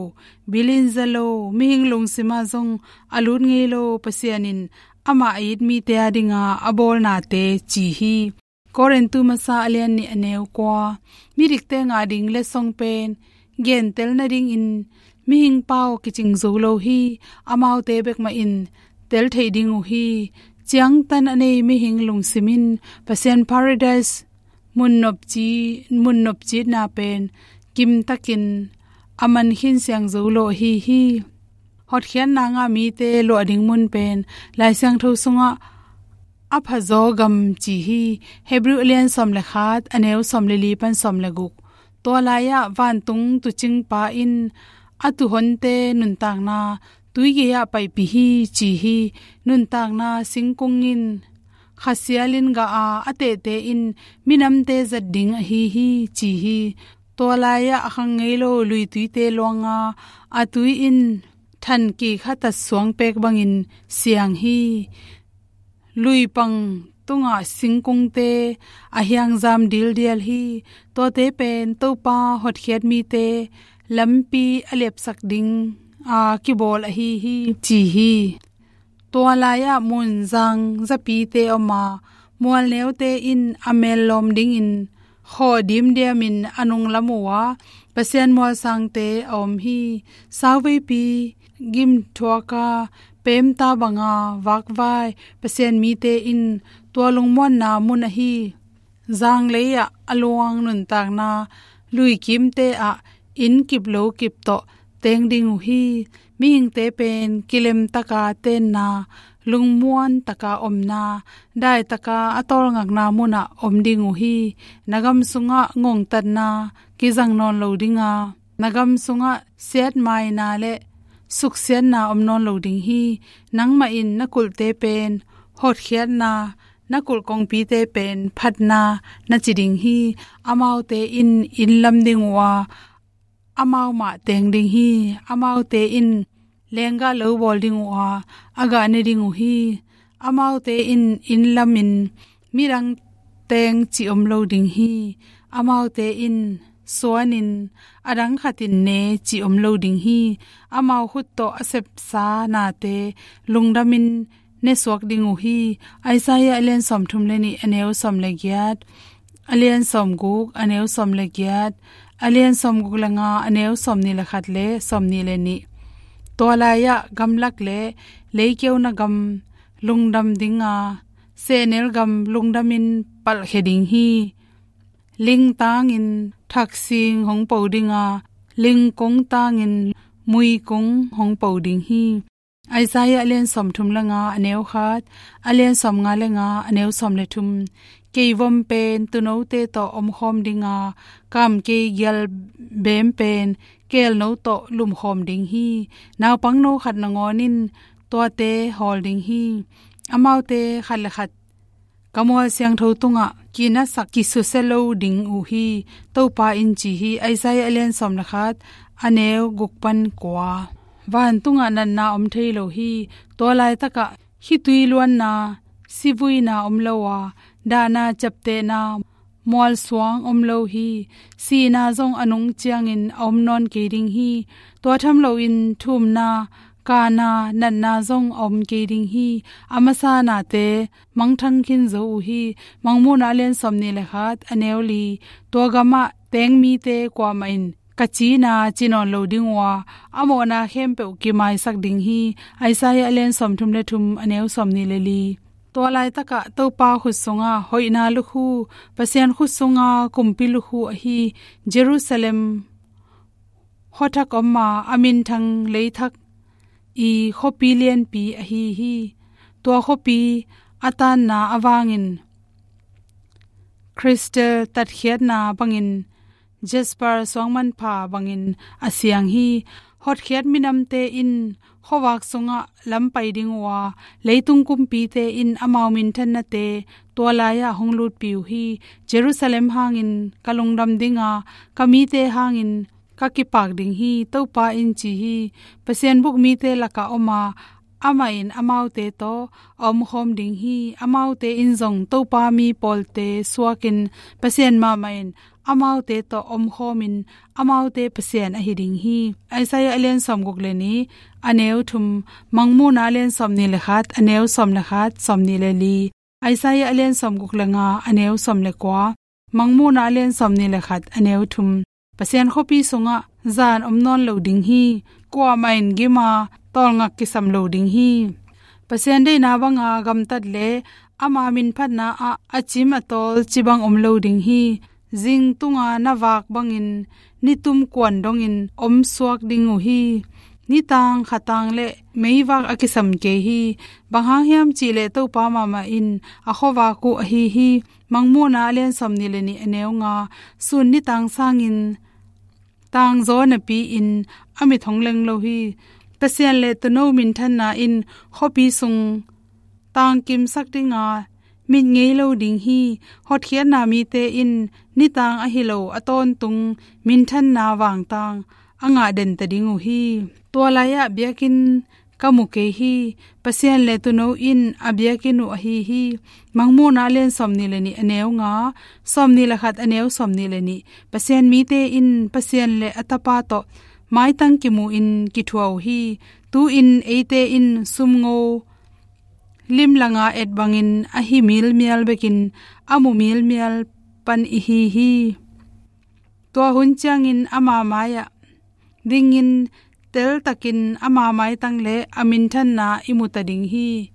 bil in za lo, mihing lungsimah zong a lut ngei lo Pasian in amah a it mite a dinga a bawlnate ci hi. Korintu masa a lian nih a neu kua. Midikte ngah ding letsong pen gentel nadingin mihing pau kicing zo lo hi. Amaute bek mah in tel thei ding uh hi. Ciangtan a nei mihing lungsim in Pasian Paradise mun nopci, mun nopcitna pen kimtakin a man khin siang zo lo ahi hi. Hotkhiatna ngah mite luah ding mun pen Lai Siangtho sungah a phazaw gam ci hi. Hebrew a lian sawm le khat a neu sawm le li pan sawm le guk. Tua lai-ah vantung tuucingpa in a tuuhonte nuntakna tuigei-ah paipih hi ci hi. Nuntakna singkung in khasialin gah a, a tehte in minamte zat ding ahi hi ci hi. Tua lai-ah a khang ngei lo luituite luanga a tui in than kikhatat suang pek bangin siang hi. Luipang tungah singkungte a hiangzam dildial hi. Tuate pen Topa hotkhiat mite lampi a liapsak ding a kibawl ahi hi ci hi. Tua lai-ah mun zang zapite om a, mualneute in a mel lawm dingin khaw dimdiamin a nunglam uh a, Pasian mualsangte a om hi. Sauveipi gimthuaka pemta banga vakvai Pasian mite in tua lungmuanna mun ahi zanglei-ah a luang nuntakna luikimte ah inn kip lo kip tawh teng ding uh hi. Mihingte pen kilemtaka tenna, lungmuantaka omna, daitaka a tawlngakna munah om ding uh hi. Na gam sungah ngongtatna kizang nawn lo dinga, na gam sungah siatmaina le suksiatna om nawn lo ding hi. Nangmah in na kulhte pen hotkhiatna, na kulh kongpite pen phatna na ci ding hi. Amaute in inn lam ding uh a, amau mah teng ding hi. Amaute in lenggah lo bawl ding uh a, a gah ne ding uh hi. Amaute in inn lamin midang teng ci om lo ding hi. Amaute in suanin a dang khatin ne ci om lo ding hi. Amau khut tawh a sepsa nate lungdamin nesuak ding uh hi. Isaiah a lian sawm thum le nih a neu sawm le giat, a lian sawm guk a neu sawm le giat, a lian sawm guk le nga a neu sawm nih le khat le sawm nih le nih. Tua lai-ah gamlak le leikeu na gam lungdam dinga, sehnel gam lungdamin palhkhia ding hi. Lingtangin thaksing hong po dinga, lingkung tangin muikung hong po ding hi. Isaiah a lian sawmthum le nga, a neu khat, a lian sawmnga le nga, a neu sawm le thum. Keivom pen tuunote tawh omkhawm dinga, kamkei gial beem pen keelno tawh lumkhawm ding hi. Naupangno khat nangawn in tuate hawl ding hi. Amaute khat le khat ka mual siangtho tungah kinasak kisusia lo ding uh hi, Topa in ci hi. Isaiah a lian sawm le khat, a neu guk pan kua. Vantungah natna om thei lo hi. Tua laitakah khitui luanna, sivuina om lo a, dahna ciaptehna, mualsuang om lo hi. Sihna zong a nung ciangin a om nawn kei ding hi. Tua tham loin thumna, kana, natna zong a om kei ding hi. A masa nate mangthang khin zo uh hi. Mangmuhna a lian sawmnih le khat, a neu li. Tua gamah teng mite kuamah in ka cina ci nawn lo ding uh a, a mawhna khempeuh kimaisak ding hi. Isaiah a lian sawmthum le thum, a neu sawmnih le li. Tua laitakah Topa khut sunga hoihna lukhu, Pasian khut sunga kumpi lukhu ahi Jerusalem khuathak om a, a minthang leithak i khuapi lianpi ahi hi. Tua khuapi a tanna avangin crystal tatkhiatna bangin, jasper suangmanpha bangin a siang hi. Hotkhiat minamte in khuavak sungah lam pai ding uh a, leitung kumpite in amau minthannate tua lai-ah hong lutpih uh hi. Jerusalem hangin ka lungdam ding a, ka mite hangin ka kipak ding hi, Topa in ci hi. Pasian buk mite lakah om a, amah in amaute tawh a omkhawm ding hi. Amaute in zong Topa mi pawlte suakin, Pasian mahmah in amaute tawh omkhawmin, amaute Pasian ahi ding hi. Isaiah a lian sawmguk le nih, a neu thum. Mangmuhna a lian sawmnih le khat, a neu sawm le khat, sawmnih le li. Isaiah a lian sawmguk le nga, a neu sawm le kua. Mangmuhna a lian sawmnih le khat, a neu thum. Pasian khuapi sungah zan om nawn lo ding hi. Kuamah in gim a, tawlngak kisam lo ding hi. Pasian deihna banga gamtat le ama minphatna ah a cim a tawl cibang om lo ding hi. Zing tunga na vak bangin nitum kuan dongin om suak ding uh hi. Nitang khatang le meivak a kisam kei hi. Bang hang hiam cih leh Topa mahmah in a khuavak uh ahi hi. Mangmuhna a lian sawmnih le nih, a neu nga. Sun nitang sangin tangzaw napi-in a mit hong leng lo hi. Pasian le tuuno minthanna in khuapi sung tangkimsak ding a, mit ngei lo ding hi. Hotkhiatna mite in nitang ahi lo a tawntung minthanna vangtang a ngah den ta ding uh hi. Tua lai-ah biakinn ka mu kei hi. Pasian le tuuno in a biakinn uh ahi hi. Mangmuhna a lian sawmnih le nih, a neu nga, sawmnih le khat, a neu sawmnih le nih. Pasian mite in Pasian le a Tapa tawh maitang kimu-in kithuah uh hi. Tu-in eite in sumngo limlanga et bangin a hi milmial bekin a mu milmial pan i hi hi. Tua hun ciangin ama mai-ah dingin teltakin ama maitang le a minthanna i mu ta ding hi.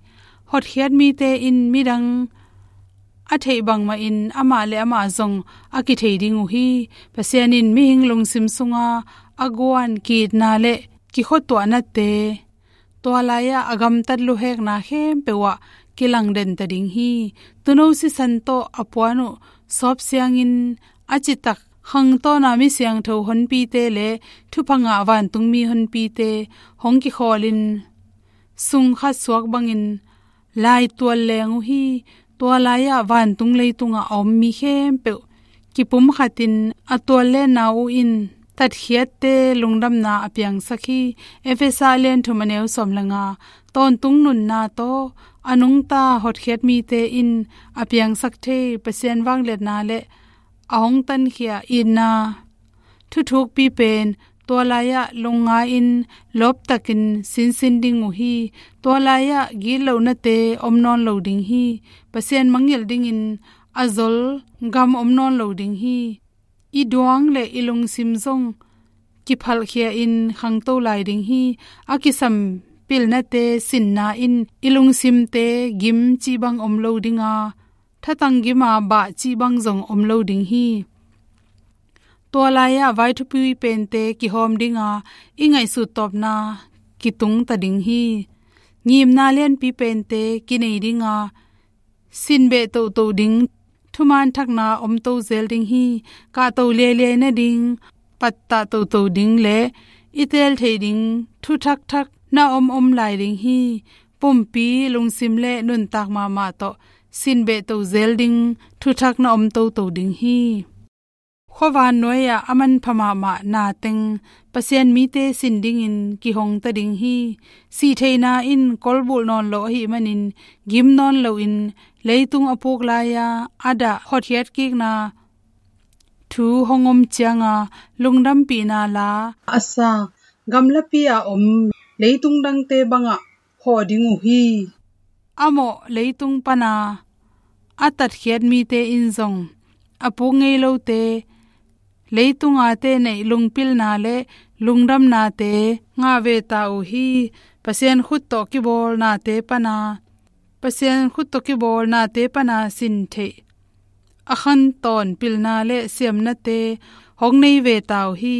Hotkhiat mite in midang a theih bangmahin amah le amah zong a kithei ding uh hi. Pasian in mihing lungsim sunga a guan ki-itna le kikhuatuahnate, tua lai-ah a gamtat luhekna khempeuh ah kilang den ta ding hi. Tuuno sisan tawh a puan uh sawp siangin a citak khangtawna mi siangtho honpite le thupha ngah vantungmi honpite hong kikhawlin sungkhat suak bangin laitual leng uh hi. Tua lai-ah vantung leitungah a om mi khempeuh kipumkhatin a tuallenna uh in tatkhiatte lungdamna a piangsak hi. Efesa a lian thum, a neu sawm le nga. Tawntung nunna tawh a nungta hotkhiat mite in a piangsak thei Pasian vangliatna le a hong tankhia itna thuthukpi pen tua lai-ah lungngai-in lawptakin sinsin ding uh hi. Tua lai-ah gitlohnate om nawn lo ding hi. Pasian mangngilh dingin a zol gam om nawn lo ding hi. I duang le i lungsim zong kiphalhkhia-in khangto lai ding hi. A kisam pilnate sinna in i lungsimte gim cih bang om lo ding a, thatang gim a bah cih bang zong om lo ding hi. Tua lai-ah vai thupui pente kihawm ding a, i ngaihsut tawpna kitung ta ding hi. Ngimna lianpi pente kinei dinga, sin beh toto ding, thuman thakna om to zel ding hi. Kahto liailiai nading, pattah toto ding le i teel theih ding thu thakthak na om om lai ding hi. Pumpi lungsim le nuntak mahmah tawh sin beh to zel ding thu thak na om toto ding hi. Khuavan nuai-ah a manpha mahmah na teng Pasian mite sin dingin kihong ta ding hi. Sihtheihna in kolbulh nawn lo ahih manin, gim nawn loin leitung a puk lai-a a dah hotkhiat kikna thu hong om cianga lungdampihna la a sa, gamlapi-a om leitung dangte bangah hawh ding uh hi. A mawh leitung pana a tatkhiat mite in zong a puk ngei lote leitunga te neih lungpilna le lungdamnate ngah ve ta uh hi. Pasian khut tawh kibawlnate pana, Pasian khut tawh kibawlnate pana sin theih a khantawn pilna le siamnate hong nei ve ta uh hi.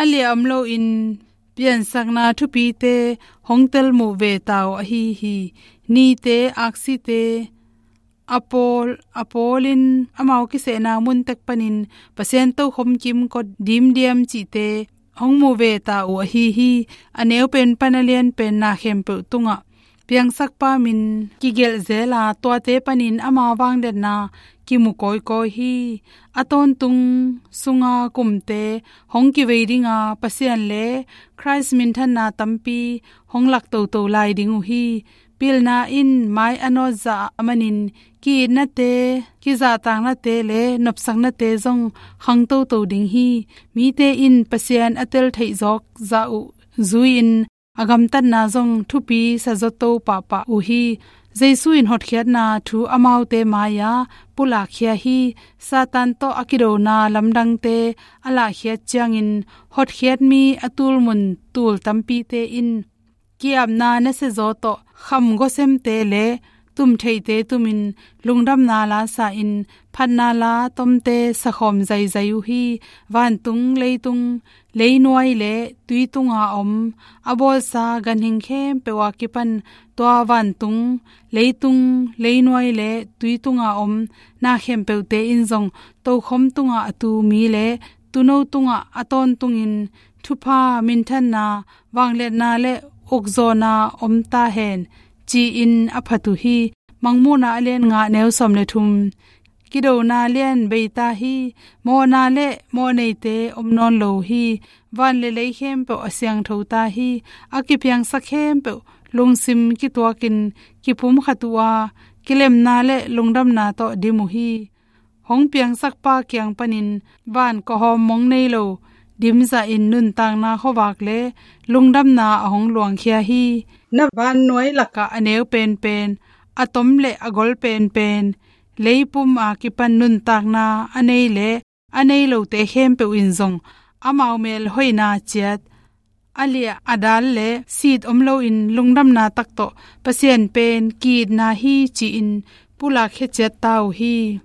A liah om loin piansakna thupite hong telmuh ve ta uh ahi hi. Nite, aksite, a pawl, a pawlin amau kisehna muntek panin Pasian tokhom kimkot dimdiam cihte hong mu ve ta uh ahi hi. A neu pen pan a lian pen na khempeuh tungah piangsakpa min kigelh zela tuate panin ama vangliatna kimu kawikawi hi. A tawntung sunga kumte hong kivei dinga Pasian le Khrist minthanna tampi hong lak toto lai ding uh hi. Pilna in mai a nawtzah a manin ki-itnate, kizahtaknate le nopsaknate zong khang toto ding hi. Mite in Pasian a tel theih zawk zah uh zui-in a gamtatna zong thupi sazaw to pahpah uh hi. Jesu in hotkhiatna thu amaute mai-a pulakkhia hi. Satan tawh a kidona lamdangte a lahkhiat ciangin hotkhiat mi a tulmun tul tampite in ki-apna nasiazaw tawh kham gawsemte le tumtheihte tumin lungdamna la sa-in phatna la tomte sakhawm zaizai uh hi. Vantung, leitung, leinuai le tui tunga om a bawlsa ganhing khempeuh a kipan tua vantung, leitung, leinuai le tui tunga om na khempeuhte in zong tokhom tunga a tu mi le tuuno tungah a tawntungin thupha, minthanna, vangliatna le ukzawhna om ta hen, ci-in a phat uh hi. Mangmuhna a lian nga neu sawm le thum. Kidona lian bei ta hi. Mawhna le mawhneite om nawn lo hi. Van le lei khempeuh a siangtho ta hi. A kipiangsak khempeuh lungsim kituakin kipumkhat uh a, kilemna le lungdamna tawh dim uh hi. Hong piangsakpa kiang panin van kawhawm mong nei lo dimzahin nuntakna khuavak le lungdamna a hong luangkhia hi. Na vannuai lakah a neu penpen, a tom le a gol penpen, leipum a kipan nuntakna a nei le a nei lote khempeuh in zong amau mel hoihna ciat, a liah a dal le sit om loin lungdamna tak tawh Pasian pen ki-itna hi ci-in pulakkhia ciat ta uh hi.